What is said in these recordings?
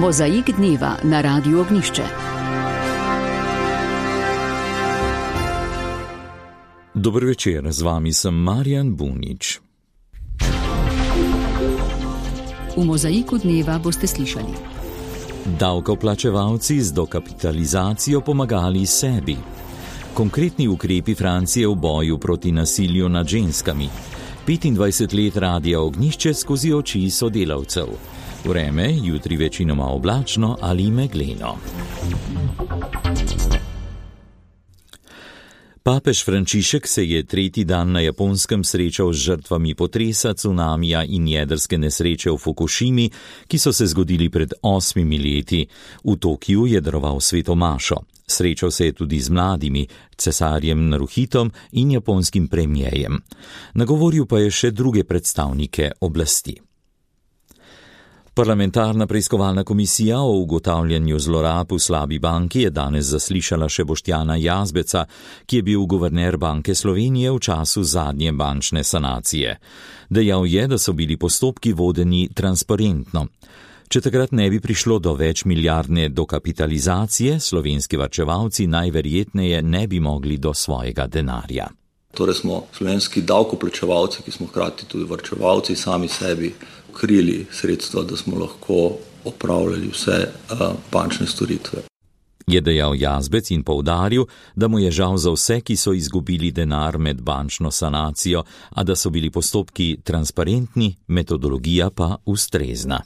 Mozaik dneva na Radiu Ognjišče. Dober večer, z vami sem Marjan Bunič. V Mozaiku dneva boste slišali: davkoplačevalci z dokapitalizacijo pomagali sebi. Konkretni ukrepi Francije v boju proti nasilju nad ženskami. 25 let Radia Ognjišče skozi oči sodelavcev. Vreme, jutri večinoma oblačno ali megleno. Papež Frančišek se je tretji dan na Japonskem srečal z žrtvami potresa, cunamija in jedrske nesreče v Fukušimi, ki so se zgodili pred 8 leti. V Tokiju je daroval sveto mašo. Srečal se je tudi z mladimi, cesarjem Naruhitom in japonskim premijejem. Nagovoril pa je še druge predstavnike oblasti. Parlamentarna preiskovalna komisija o ugotavljanju zlorab v slabi banki je danes zaslišala še Boštjana Jazbeca, ki je bil guverner Banke Slovenije v času zadnje bančne sanacije. Dejal je, da so bili postopki vodeni transparentno. Če takrat ne bi prišlo do večmilijardne dokapitalizacije, slovenski varčevalci najverjetneje ne bi mogli do svojega denarja. Torej smo slovenski davkoplačevalci, ki smo hkrati tudi varčevalci, sami sebi krili sredstva, da smo lahko opravljali vse bančne storitve. Je dejal Jazbec in poudaril, da mu je žal za vse, ki so izgubili denar med bančno sanacijo, a da so bili postopki transparentni, metodologija pa ustrezna.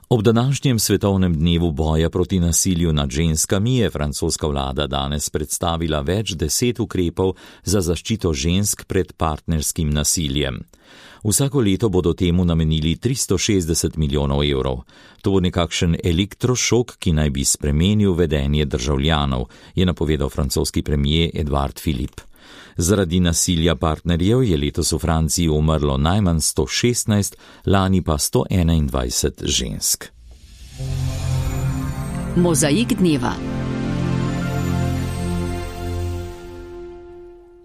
Ob današnjem svetovnem dnevu boja proti nasilju nad ženskami je francoska vlada danes predstavila več 10 ukrepov za zaščito žensk pred partnerskim nasiljem. Vsako leto bodo temu namenili 360 milijonov evrov. To bo nekakšen elektrošok, ki naj bi spremenil vedenje državljanov, je napovedal francoski premier Edouard Philippe. Zaradi nasilja partnerjev je letos v Franciji umrlo najmanj 116, lani pa 121 žensk. Mozaik dneva.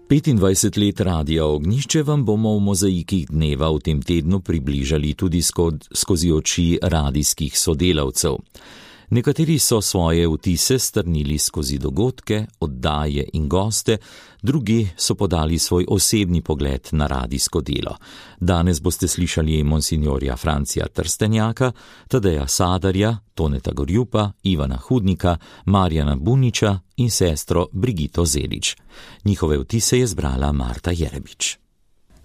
25 let Radia Ognjišče vam bomo v mozaikih dneva v tem tednu približali tudi skozi oči radijskih sodelavcev. Nekateri so svoje vtise strnili skozi dogodke, oddaje in goste, drugi so podali svoj osebni pogled na radijsko delo. Danes boste slišali monsinjorja Francija Trstenjaka, Tadeja Sadarja, Toneta Gorjupa, Ivana Hudnika, Marjana Buniča in sestro Brigito Zelič. Njihove vtise je zbrala Marta Jerebič.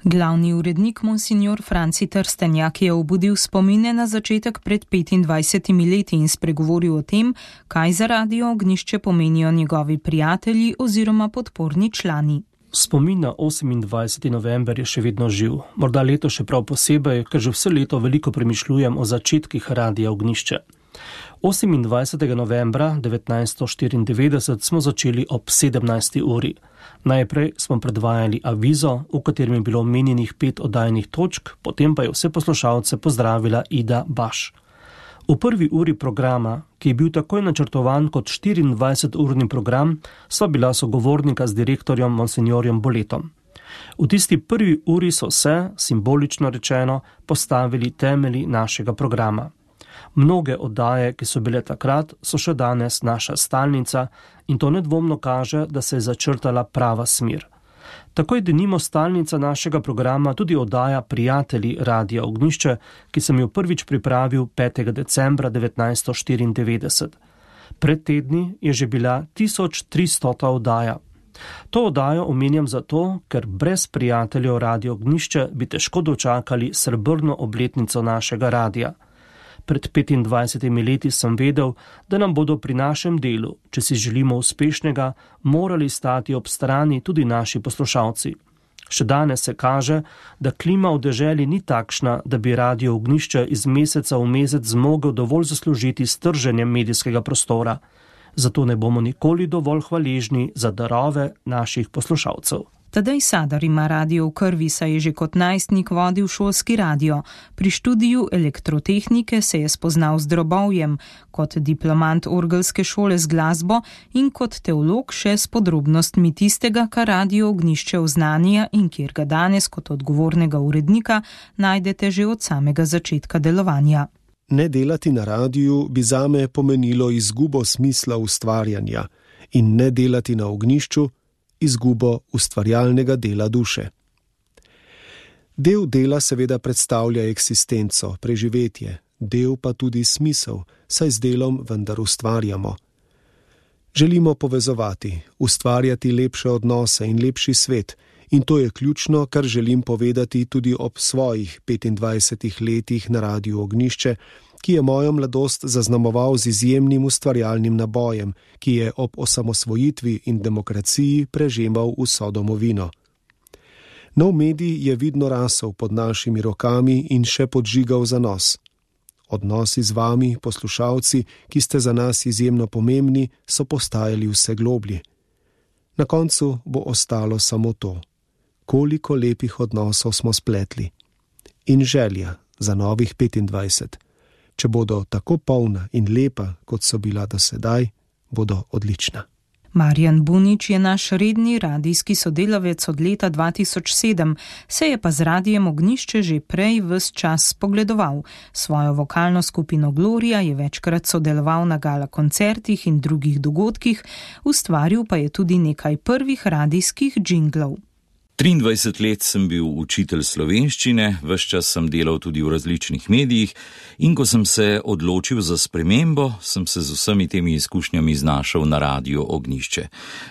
Glavni urednik monsinjor Franci Trstenjak je obudil spomine na začetek pred 25 leti in spregovoril o tem, kaj za Radio Ognjišče pomenijo njegovi prijatelji oziroma podporni člani. Spomin na 28. november je še vedno živ. Morda leto še prav posebej, ker že vse leto veliko premišljujem o začetkih Radia Ognjišče. 28. novembra 1994 smo začeli ob 17. uri. Najprej smo predvajali avizo, v katerem je bilo omenjenih 5 oddajnih točk, potem pa je vse poslušalce pozdravila Ida Baš. V prvi uri programa, ki je bil takoj načrtovan kot 24-urni program, sva bila sogovornika z direktorjem monsinjorjem Boletom. V tisti prvi uri so se, simbolično rečeno, postavili temelji našega programa. Mnoge oddaje, ki so bile takrat, so še danes naša stalnica in to nedvomno kaže, da se je začrtala prava smer. Tako je denimo stalnica našega programa tudi oddaja Prijatelji Radia Ognjišče, ki sem jo prvič pripravil 5. decembra 1994. Pred tedni je že bila 1300. oddaja. To oddajo omenjam zato, ker brez prijateljev Radia Ognjišče bi težko dočakali srebrno obletnico našega radia. Pred 25 leti sem vedel, da nam bodo pri našem delu, če si želimo uspešnega, morali stati ob strani tudi naši poslušalci. Še danes se kaže, da klima v deželi ni takšna, da bi Radio Ognjišče iz meseca v mesec zmogel dovolj zaslužiti s trženjem medijskega prostora. Zato ne bomo nikoli dovolj hvaležni za darove naših poslušalcev. Tadej Sadar ima radio v krvi, saj je že kot najstnik vodil šolski radio. Pri študiju elektrotehnike se je spoznal z drobovjem, kot diplomant orgelske šole z glasbo in kot teolog še s podrobnostmi tistega, kar Radio Ognjišče oznanja in kjer ga danes kot odgovornega urednika najdete že od samega začetka delovanja. Ne delati na radiju bi zame pomenilo izgubo smisla ustvarjanja in ne delati na ognjišču izgubo ustvarjalnega dela duše. Del dela seveda predstavlja eksistenco, preživetje, del pa tudi smisel, saj z delom vendar ustvarjamo. Želimo povezovati, ustvarjati lepše odnose in lepši svet, in to je ključno, kar želim povedati tudi ob svojih 25 letih na Radiu Ognjišče, ki je mojo mladost zaznamoval z izjemnim ustvarjalnim nabojem, ki je ob osamosvojitvi in demokraciji prežemal vso domovino. Nov medij je vidno rasel pod našimi rokami in še podžigal zanos. Odnosi z vami, poslušalci, ki ste za nas izjemno pomembni, so postajali vse globlji. Na koncu bo ostalo samo to, koliko lepih odnosov smo spletli. In želja za novih 25. Če bodo tako polna in lepa, kot so bila do sedaj, bodo odlična. Marjan Bunič je naš redni radijski sodelavec od leta 2007, se je pa z Radijem Ognjišče že prej ves čas spogledoval. Svojo vokalno skupino Gloria je večkrat sodeloval na gala koncertih in drugih dogodkih, ustvaril pa je tudi nekaj prvih radijskih džinglov. 23 let sem bil učitelj slovenščine, ves čas sem delal tudi v različnih medijih in ko sem se odločil za spremembo, sem se z vsemi temi izkušnjami znašel na Radiu Ognjišče.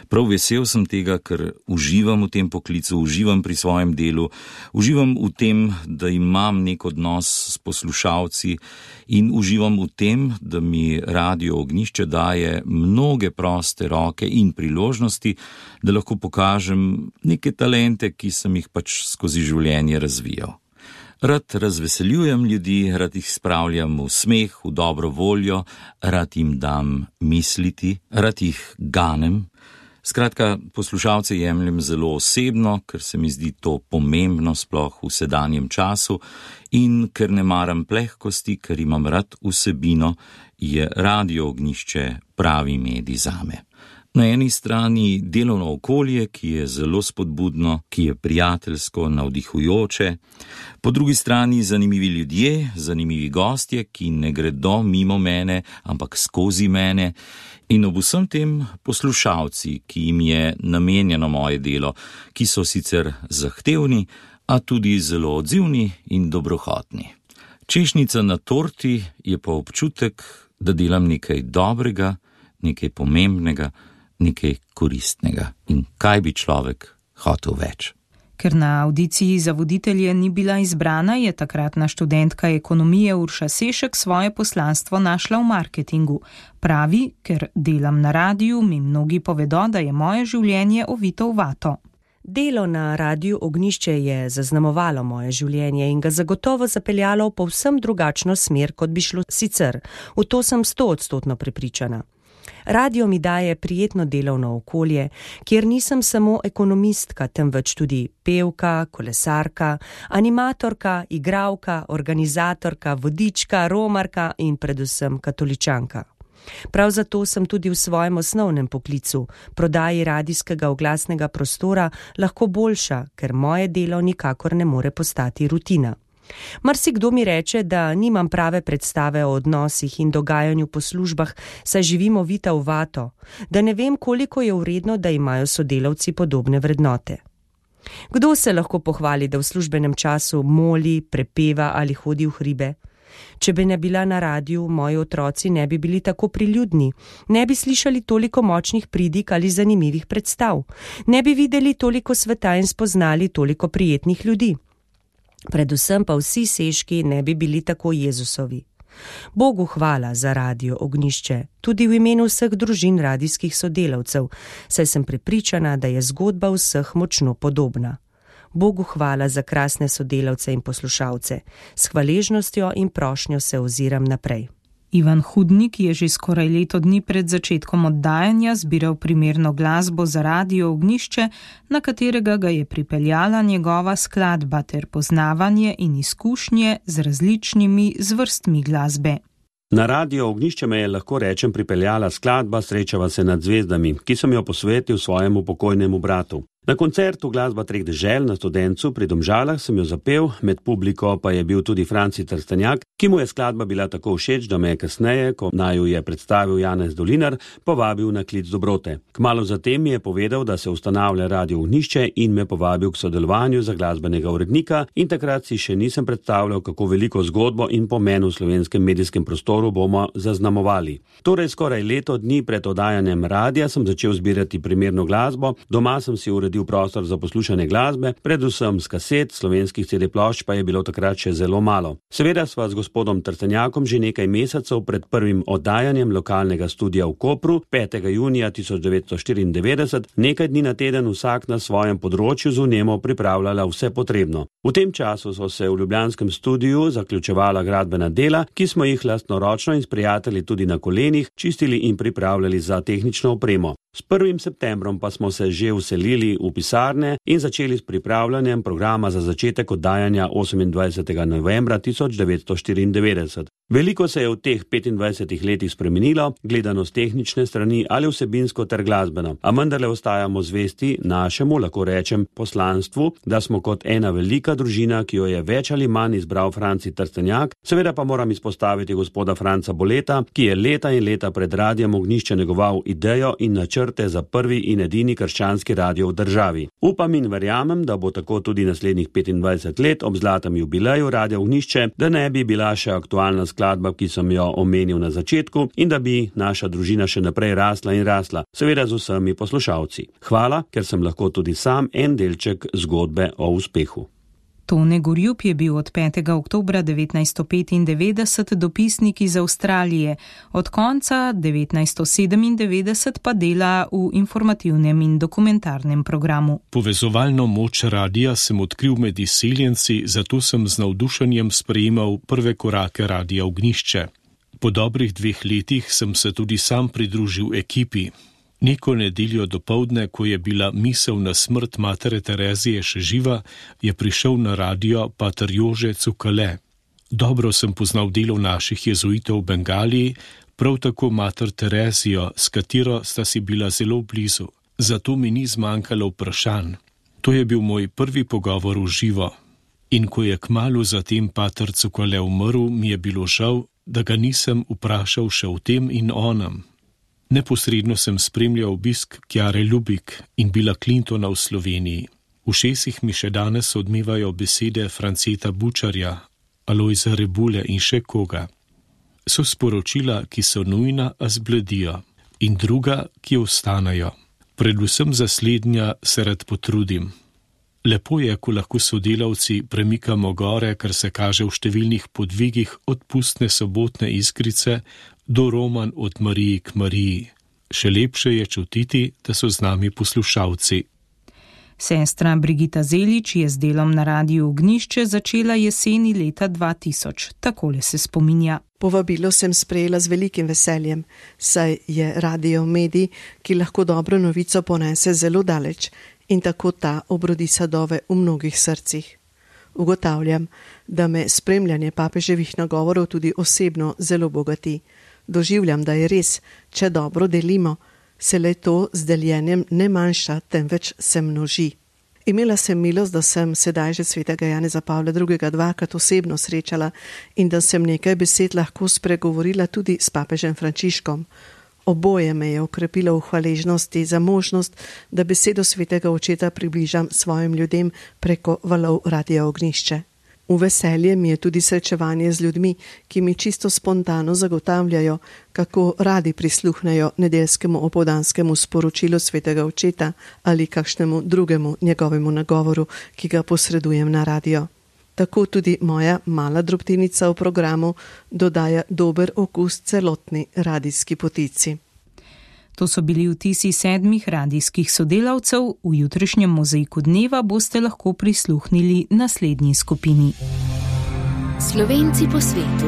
Prav vesel sem tega, ker uživam v tem poklicu, uživam pri svojem delu, uživam v tem, da imam nek odnos s poslušalci in uživam v tem, da mi Radio Ognjišče daje mnoge proste roke in priložnosti, da lahko pokažem neke talente, ki sem jih pač skozi življenje razvijal. Rad razveseljujem ljudi, rad jih spravljam v smeh, v dobro voljo, rad jim dam misliti, rad jih ganem. Skratka, poslušalce jemljem zelo osebno, ker se mi zdi to pomembno sploh v sedanjem času in ker ne maram plehkosti, ker imam rad vsebino, je Radio Ognjišče pravi medij zame. Na eni strani delovno okolje, ki je zelo spodbudno, ki je prijateljsko, navdihujoče, po drugi strani zanimivi ljudje, zanimivi gostje, ki ne gredo mimo mene, ampak skozi mene, in ob vsem tem poslušalci, ki jim je namenjeno moje delo, ki so sicer zahtevni, a tudi zelo odzivni in dobrohotni. Češnjica na torti je pa občutek, da delam nekaj dobrega, nekaj pomembnega, nekaj koristnega. In kaj bi človek hotel več? Ker na avdiciji za voditelje ni bila izbrana, je takratna študentka ekonomije Urša Sešek svoje poslanstvo našla v marketingu. Pravi, ker delam na radiju, mi mnogi povedo, da je moje življenje ovito v vato. Delo na Radiu Ognjišče je zaznamovalo moje življenje in ga zagotovo zapeljalo v povsem drugačno smer, kot bi šlo sicer. V to sem 100% prepričana. Radio mi daje prijetno delovno okolje, kjer nisem samo ekonomistka, temveč tudi pevka, kolesarka, animatorka, igralka, organizatorka, vodička, romarka in predvsem katoličanka. Prav zato sem tudi v svojem osnovnem poklicu, prodaji radijskega oglasnega prostora, lahko boljša, ker moje delo nikakor ne more postati rutina. Marsikdo mi reče, da nimam prave predstave o odnosih in dogajanju po službah, saj živimo vita v vato, da ne vem, koliko je vredno, da imajo sodelavci podobne vrednote. Kdo se lahko pohvali, da v službenem času moli, prepeva ali hodi v hribe? Če bi ne bila na radiju, moji otroci ne bi bili tako priljudni, ne bi slišali toliko močnih pridig ali zanimivih predstav, ne bi videli toliko sveta in spoznali toliko prijetnih ljudi. Predvsem pa vsi Seški ne bi bili tako Jezusovi. Bogu hvala za Radio Ognjišče, tudi v imenu vseh družin radijskih sodelavcev, saj sem prepričana, da je zgodba vseh močno podobna. Bogu hvala za krasne sodelavce in poslušalce. S hvaležnostjo in prošnjo se oziram naprej. Ivan Hudnik je že skoraj leto dni pred začetkom oddajanja zbiral primerno glasbo za Radio Ognjišče, na katerega ga je pripeljala njegova skladba ter poznavanje in izkušnje z različnimi zvrstmi glasbe. Na Radio Ognjišče me je, lahko rečem, pripeljala skladba Srečava se nad zvezdami, ki sem jo posvetil svojemu pokojnemu bratu. Na koncertu Glasba treh dežel na Studencu pri Domžalah sem jo zapel, med publiko pa je bil tudi Franci Trstenjak, ki mu je skladba bila tako všeč, da me je kasneje, ko naju je predstavil Janez Dolinar, povabil na klic dobrote. Kmalu zatem mi je povedal, da se ustanavlja Radio Ognjišče in me povabil k sodelovanju za glasbenega urednika in takrat si še nisem predstavljal, kako veliko zgodbo in pomen v slovenskem medijskem prostoru bomo zaznamovali. Torej skoraj leto dni pred oddajanjem radia sem začel zbirati primerno glasbo, doma sem si uredil prostor za poslušanje glasbe, predvsem z kaset, slovenskih CD-plošč pa je bilo takrat še zelo malo. Seveda sva z gospodom Trstenjakom že nekaj mesecev pred prvim oddajanjem lokalnega studia v Kopru 5. junija 1994 nekaj dni na teden vsak na svojem področju z vnemo pripravljala vse potrebno. V tem času so se v ljubljanskem studiu zaključevala gradbena dela, ki smo jih lastnoročno in s prijatelji tudi na kolenih čistili in pripravljali za tehnično opremo. S 1. septembrom pa smo se že vselili v pisarne in začeli s pripravljanjem programa za začetek oddajanja 28. novembra 1994. Veliko se je v teh 25 letih spremenilo, gledano z tehnične strani ali vsebinsko ter glasbeno, a vendarle ostajamo zvesti našemu, lahko rečem, poslanstvu, da smo kot ena velika družina, ki jo je več ali manj izbral Franci Trstenjak. Seveda pa moram izpostaviti gospoda Franca Boleta, ki je leta in leta pred Radijem Ognjišče negoval idejo in načrte za prvi in edini krščanski radio v državi. Upam in verjamem, da bo tako tudi naslednjih 25 let ob zlatem jubileju Radia Ognjišče, da ne bi bila še aktualna skladba, ki sem jo omenil na začetku, in da bi naša družina še naprej rasla in rasla, seveda z vsemi poslušalci. Hvala, ker sem lahko tudi sam en delček zgodbe o uspehu. Tone Gorjup je bil od 5. oktobra 1995 dopisnik iz Avstralije, od konca 1997 pa dela v informativnem in dokumentarnem programu. Povezovalno moč radija sem odkril med izseljenci, zato sem z navdušenjem sprejemal prve korake Radia Ognjišče. Po dobrih 2 letih sem se tudi sam pridružil ekipi. Neko nedeljo dopoldne, ko je bila misel na smrt matere Terezije še živa, je prišel na radio pater Jože Cukale. Dobro sem poznal delo naših jezuitov v Bengaliji, prav tako mater Terezijo, s katero sta si bila zelo blizu. Zato mi ni zmanjkalo vprašanj. To je bil moj prvi pogovor v živo. In ko je kmalu zatem pater Cukale umrl, mi je bilo žal, da ga nisem vprašal še o tem in onem. Neposredno sem spremljal obisk Kjare Lubik in Billa Clintona v Sloveniji. V ušesih mi še danes odmevajo besede Franceta Bučarja, Alojza Rebule in še koga. So sporočila, ki so nujna, a zbledijo, in druga, ki ostanejo. Predvsem za slednja se rad potrudim. Lepo je, ko lahko sodelavci premikamo gore, kar se kaže v številnih podvigih od pustne sobotne iskrice do roman od Mariji k Mariji. Še lepše je čutiti, da so z nami poslušalci. Sestra Brigita Zelič je z delom na Radiu Ognjišče začela jeseni leta 2000. Takole se spominja. Povabilo sem sprejela z velikim veseljem, saj je radio medij, ki lahko dobro novico ponese zelo daleč in tako ta obrodi sadove v mnogih srcih. Ugotavljam, da me spremljanje papeževih nagovorov tudi osebno zelo bogati. Doživljam, da je res, če dobro delimo, se le to z deljenjem ne manjša, temveč se množi. Imela sem milost, da sem sedaj že svetega Janeza Pavla II. 2-krat osebno srečala in da sem nekaj besed lahko spregovorila tudi s papežem Frančiškom. Oboje me je okrepilo v hvaležnosti za možnost, da besedo svetega očeta približam svojim ljudem preko valov Radia Ognjišče. V veselje mi je tudi srečevanje z ljudmi, ki mi čisto spontano zagotavljajo, kako radi prisluhnejo nedeljskemu opoldanskemu sporočilu svetega očeta ali kakšnemu drugemu njegovemu nagovoru, ki ga posredujem na radio. Tako tudi moja mala drobtinica v programu dodaja dober okus celotni radijski potici. To so bili vtisi 7 radijskih sodelavcev, v jutrišnjem mozaiku dneva boste lahko prisluhnili naslednji skupini. Slovenci po svetu.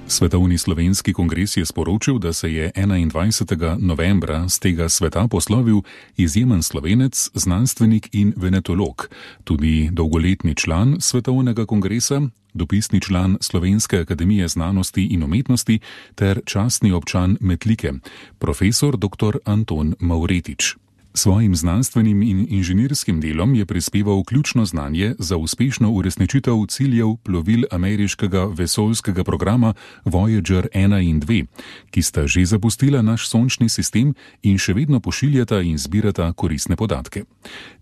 Svetovni slovenski kongres je sporočil, da se je 21. novembra z tega sveta poslovil izjemen Slovenec, znanstvenik in venetolog, tudi dolgoletni član Svetovnega kongresa, dopisni član Slovenske akademije znanosti in umetnosti ter častni občan Metlike, profesor dr. Anton Mavretič. Svojim znanstvenim in inženirskim delom je prispeval ključno znanje za uspešno uresničitev ciljev plovil ameriškega vesoljskega programa Voyager 1 in 2, ki sta že zapustila naš sončni sistem in še vedno pošiljata in zbirata koristne podatke.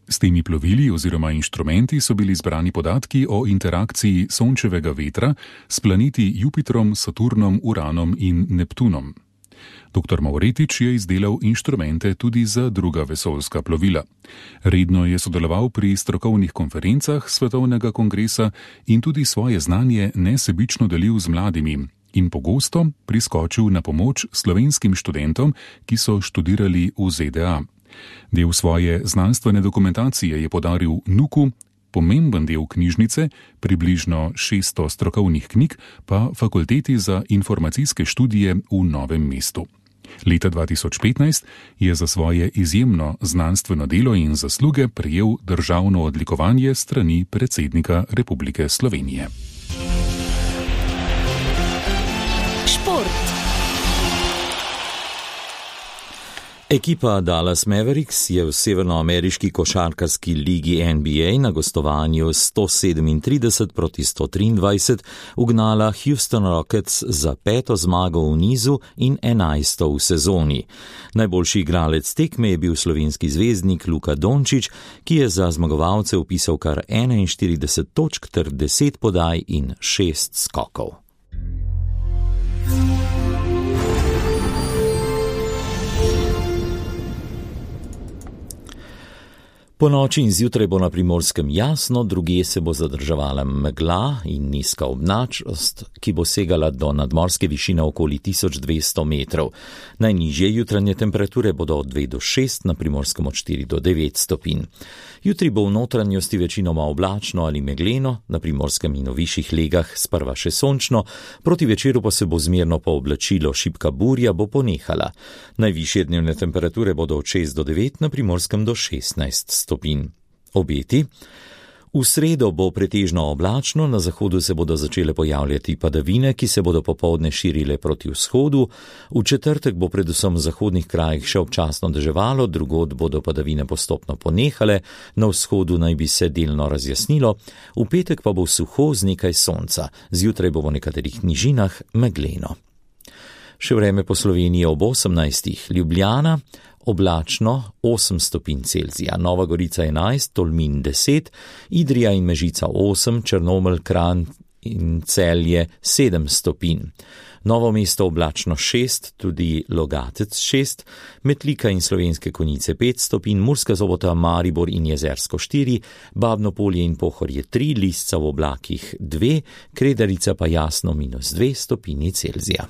S temi plovili oziroma inštrumenti so bili zbrani podatki o interakciji sončevega vetra s planeti Jupitrom, Saturnom, Uranom in Neptunom. Dr. Mavretič je izdelal inštrumente tudi za druga vesoljska plovila. Redno je sodeloval pri strokovnih konferencah Svetovnega kongresa in tudi svoje znanje nesebično delil z mladimi in pogosto priskočil na pomoč slovenskim študentom, ki so študirali v ZDA. Del svoje znanstvene dokumentacije je podaril NUK-u, pomemben del knjižnice, približno 600 strokovnih knjig, pa Fakulteti za informacijske študije v Novem mestu. Leta 2015 je za svoje izjemno znanstveno delo in zasluge prejel državno odlikovanje strani predsednika Republike Slovenije. Šport. Ekipa Dallas Mavericks je v severnoameriški košarkarski ligi NBA na gostovanju 137-123 ugnala Houston Rockets za 5. zmago v nizu in 11. v sezoni. Najboljši igralec tekme je bil slovenski zvezdnik Luka Dončić, ki je za zmagovalce vpisal kar 41 točk ter 10 podaj in 6 skokov. Po noči in zjutraj bo na Primorskem jasno, drugje se bo zadrževala megla in nizka oblačnost, ki bo segala do nadmorske višine okoli 1200 metrov. Najnižje jutranje temperature bodo od 2 do 6, na Primorskem od 4 do 9 stopinj. Jutri bo v notranjosti večinoma oblačno ali megleno, na Primorskem in v višjih legah sprva še sončno, proti večeru pa se bo zmerno pooblačilo, šibka burja bo ponehala. Najvišje dnevne temperature bodo od 6 do 9, na Primorskem do 16 stopinj. Obeti. V sredo bo pretežno oblačno, na zahodu se bodo začele pojavljati padavine, ki se bodo popoldne širile proti vzhodu. V četrtek bo predvsem v zahodnih krajih še občasno deževalo, drugod bodo padavine postopno ponehale, na vzhodu naj bi se delno razjasnilo, v petek pa bo suho z nekaj sonca, zjutraj bo v nekaterih nižinah megleno. Še vreme po Sloveniji ob 18. Ljubljana, oblačno 8 stopinj Celzija, Nova Gorica 11, Tolmin 10, Idrija in Mežica 8, Črnomelj, Kranj in Celje 7 stopinj. Novo mesto oblačno 6, tudi Logatec 6, Metlika in Slovenske Konjice 5 stopinj, Murska Sobota, Maribor in Jezersko 4, Babno Polje in Pohorje 3, Lisca v oblakih 2, Kredarica pa jasno -2 stopinji Celzija.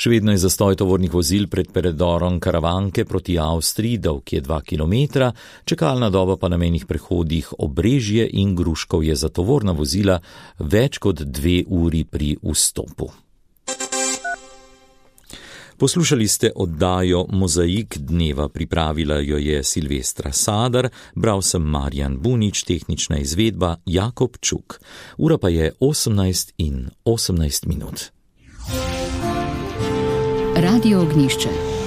Še vedno je zastoj tovornih vozil pred predorom Karavanke proti Avstriji, dolg je 2 km, čakalna doba pa na mejnih prehodih Obrežje in Gruškov je za tovorna vozila več kot 2 uri pri vstopu. Poslušali ste oddajo Mozaik dneva, pripravila jo je Silvestra Sadar, bral sem Marjan Bunič, tehnična izvedba Jakob Čuk. Ura pa je 18:18. Radio Ognjišče.